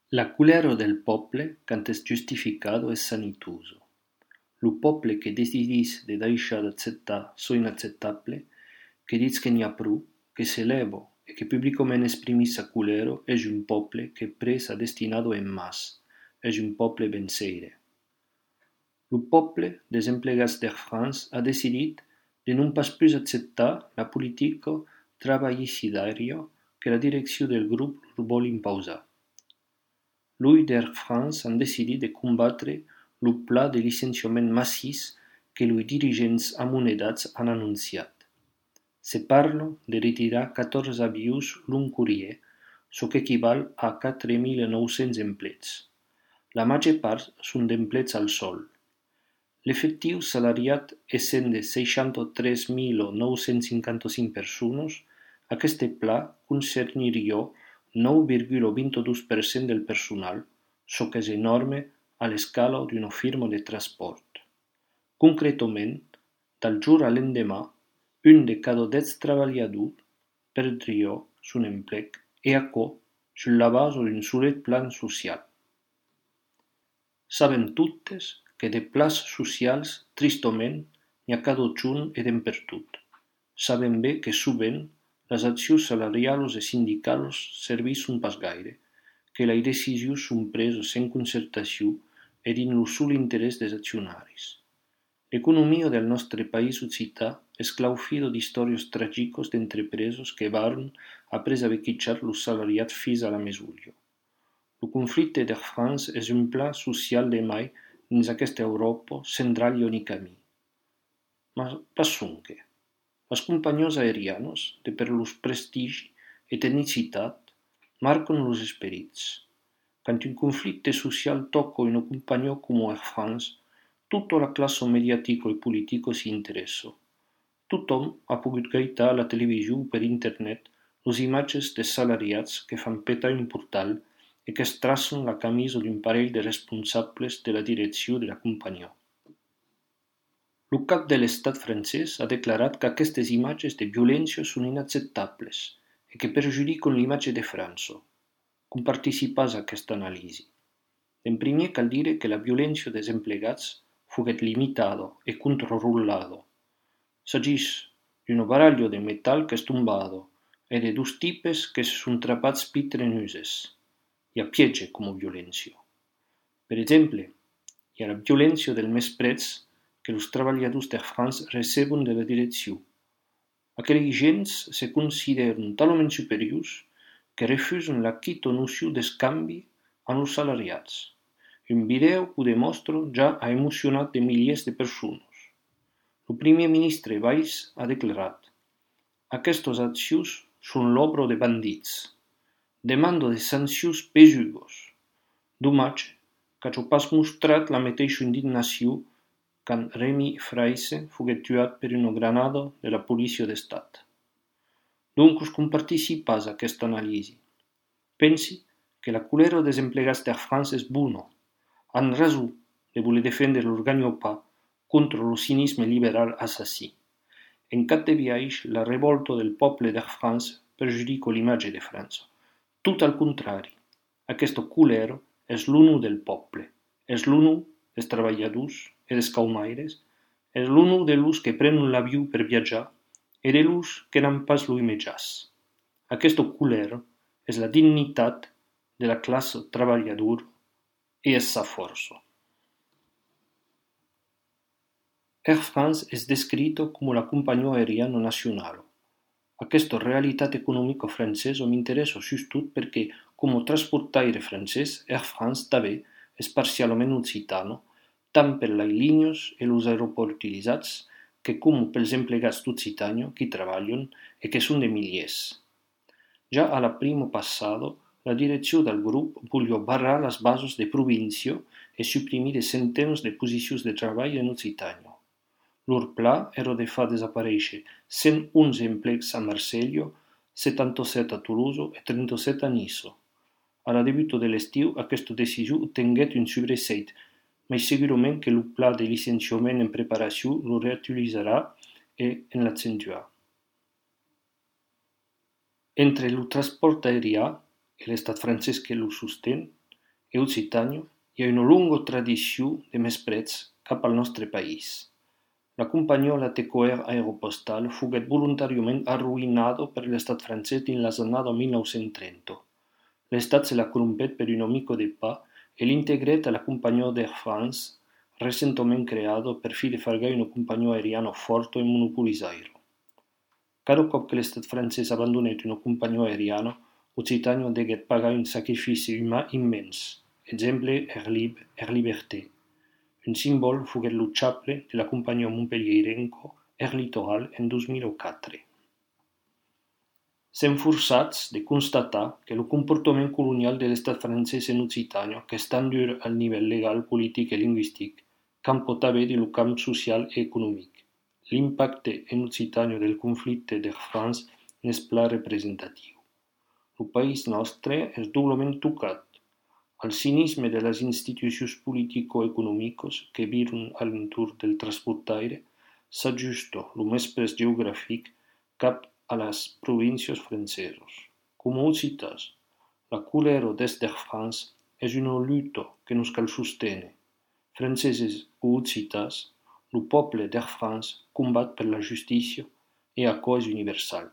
La culero del poble, quand es justificado, es sanituoso. Lo poble que decidís de deixar d'acceptar so inaccetable, que ditz que n'hi ha prou, que s'elevo e que publicament exprimís sa culero, és un poble que pres a destinado en mas, és un poble venceire. Lo poble des emplegats d'Air France ha decidit de non pas plus acceptar la politica travaillicidària que la direcció del grup vol imposar. Lui d'Air France han decidit de combatre lo pla de licenciament massís que los dirigents amonedats han anunciat. Se parla de retirar 14 avions l'un courier, çò qu'equival a 4.900 empleats. La major part són d'empleats al sol. L'efectiu salariat essent de 63.955 persones, aquest pla concerniria 9,22% del personal, çò que és enorme a l'escala d'una firma de transport. Concretament, del jour a l'endemà, un de cada 10 treballadors perdria son emplec e aquò sur la base d'un solet plan social. Sabem totes que de plans socials, tristament, n'hi ha cada un e d'empertot. Sabem bé que sovint les accions salarials e sindicals serveixen pas gaire, que les decisions són preses sense concertació e dins el sol interès dels accionaris. L'economia del nostre país occità és claufida d'històries tràgiques d'entrepreses que varen après haver quitxat los salariats fins a la mesulla. El conflicte d'Air France és un pla social de mai dins aquesta Europa central i únic camí. Mas pas sonque. Les companyies aèrianes, de per los prestigi e tecnicitat, marquen los esperits. Quand un conflicte social toca una companyia com Air France, tota la classe mediàtica i política s'hi interessa. Tothom ha pogut gaitar a la televisió o per internet les imatges dels salariats que fan petar un portal e que es tracen la camisa d'un parell de responsables de la direcció de la companyia. El cap de l'estat francès ha declarat que aquestes imatges de violència són inacceptables e que perjudiquen l'imatge de França. Com participàs a aquesta anàlisi? En primer cal dir que la violència dels emplegats foguet limitada e controlada. S'agís d'una baralla de metal que és tombada e de dos tipes que se són trapats pitrenuses. Hi ha pietge com a violència. Per exemple, hi ha la violència del mespretz que els treballadors d'Air France receben de la direcció. Aquells gens se consideren talment superiors que refusen la quita noció d'escanvi amb els salariats. Un vídeo que ho demostra ja ha emocionat de milers de persones. El primer ministre Valls ha declarat: aquestes accions són l'obra de bandits. Demanda de sancions pesugues. Domatge que hagi pas mostrat la mateixa indignació quan Rémi Fraisse foguet tuat per una granada de la policia d'estat. Donc, com participàs a aquesta anàlisi? Pensi que la culera dels emplegats d'Air France és bona. Han raó de voler defendre leur gagne-pain contra el cinisme liberal assassí. En cap de viatge, la revolta del poble d'Air France perjudica l'imatge de França. Tot al contrari, aquesta culera és l'unu del poble, és l'unu dels treballadors e dels caumaires, és l'unu de los que prenen l'avió per viatjar e de los que n'han pas lo imatjàs. Aquesta culera és la dignitat de la classe treballadora e és sa força. Air France és descrita com la companyia aèriana nacional. Aquesta realitat econòmica francesa m'interessa sobretot perquè, com a transportaire francès, Air France també és parcialment occitana, tant per les línies i els aeroports utilitzats que com pels emplegats d'Occitània que hi treballen i que són de milers. Ja a la prima passada, la direcció del grup volia barrar les bases de província i suprimir de centenars de posicions de treball en Occitània. Leur pla era de fer desaparèixer 111 emplecs a Marsella, 77 a Toulouse i 37 a Niça. A la debut de l'estiu, aquesta decisió tingué un sobreseit, mais segurament que el pla de licenciament en preparació lo reutilitzarà i en l'accentuarà. Entre el transport aèrià i l'estat francès que lo sostén, e Occitània hi ha una lunga tradició de mesprets cap al nostre país. La compagnia Tecoer Aeropostal fuguet voluntariament arruïnada per l'estat francès dins les années 1930. L'estat se la corrompet per un amico de pas e l'integret a la compagnia d'Air France, recentement creada per fi de fargar una compagnia aeriana forta e monopolitzar-la. Cada cop que l'estat francès abandonèt una compagnia aeriana, Occitània degué pagar un sacrifici humà immens. Exemple Air Liberté. Un symbole fuguet lo chaple de la compagnia montpelliérenca Air Littoral en 2004. Sem forçats de constatar que el comportament colonial de l'estat francès en Occitània, que és tan dur al nivell legal, polític i lingüístic, com pot haver de lo camp social i econòmic. L'impacte en Occitània del conflicte d'Air France n'és pla representatiu. El país nostre és doblement tocat. Al cinisme de les institucions politico-econòmiques que viren a l'entorn del transportaire s'ajusta el mespres geogràfic cap a les províncies franceses. Com Occitats, la colera des d'Air France és una lluita que nos cal sostene. Franceses o Occitats, el poble d'Air France combat per la justícia e a cause universal.